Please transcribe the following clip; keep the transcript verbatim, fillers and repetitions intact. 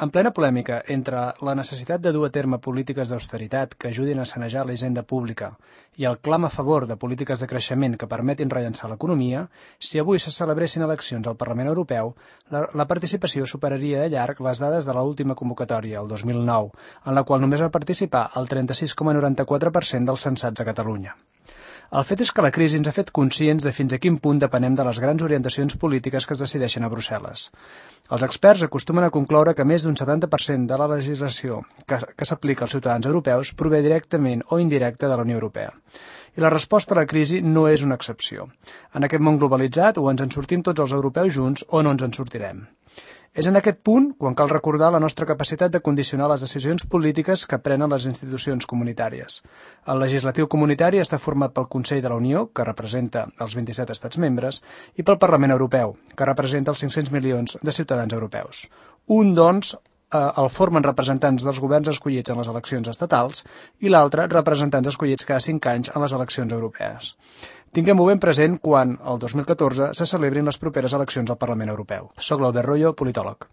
En plena polèmica entre la necessitat de dur a terme polítiques d'austeritat que ajudin a sanejar la hisenda pública i el clam a favor de polítiques de creixement que permetin rellançar l'economia, si avui se celebressin eleccions al Parlament Europeu, la, la participació superaria de llarg les dades de l'última convocatòria, el dos mil nou, en la qual només va participar el trenta-sis coma noranta-quatre per cent dels censats a Catalunya. El fet és que la crisi ens ha fet conscients de fins a quin punt depenem de les grans orientacions polítiques que es decideixen a Brussel·les. Els experts acostumen a concloure que més d'un setanta per cent de la legislació que, que s'aplica als ciutadans europeus prové directament o indirecta de la Unió Europea. I la resposta a la crisi no és una excepció. En aquest món globalitzat, o ens en sortim tots els europeus junts o no ens en sortirem. És en aquest punt quan cal recordar la nostra capacitat de condicionar les decisions polítiques que prenen les institucions comunitàries. El legislatiu comunitari està format pel Consell de la Unió, que representa els vint-i-set estats membres, i pel Parlament Europeu, que representa els cinc-cents milions de ciutadans europeus. Un, doncs, el formen representants dels governs escollits en les eleccions estatals i l'altre representants escollits cada cinc anys en les eleccions europees. Tinguem-ho ben present quan, el dos mil catorze, se celebrin les properes eleccions al Parlament Europeu. Soc l'Albert Royo, politòleg.